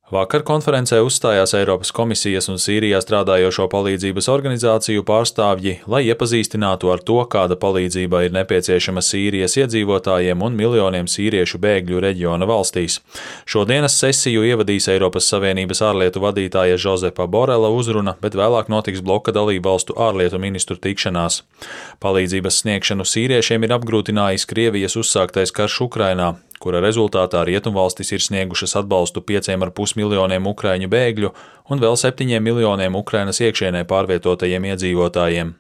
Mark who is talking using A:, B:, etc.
A: Vakar konferencē uzstājās Eiropas komisijas un Sīrijā strādājošo palīdzības organizāciju pārstāvji, lai iepazīstinātu ar to, kāda palīdzība ir nepieciešama Sīrijas iedzīvotājiem un miljoniem sīriešu bēgļu reģiona valstīs. Šodienas sesiju ievadīs Eiropas Savienības ārlietu vadītāja Žozepa Borela uzruna, bet vēlāk notiks bloka dalību valstu ārlietu ministru tikšanās. Palīdzības sniegšanu sīriešiem ir apgrūtinājis Krievijas uzsāktais karš Ukrainā, kura rezultātā rietumvalstis ir sniegušas atbalstu 5,5 miljoniem ukraiņu bēgļu un vēl 7 miljoniem Ukrainas iekšienē pārvietotajiem iedzīvotājiem.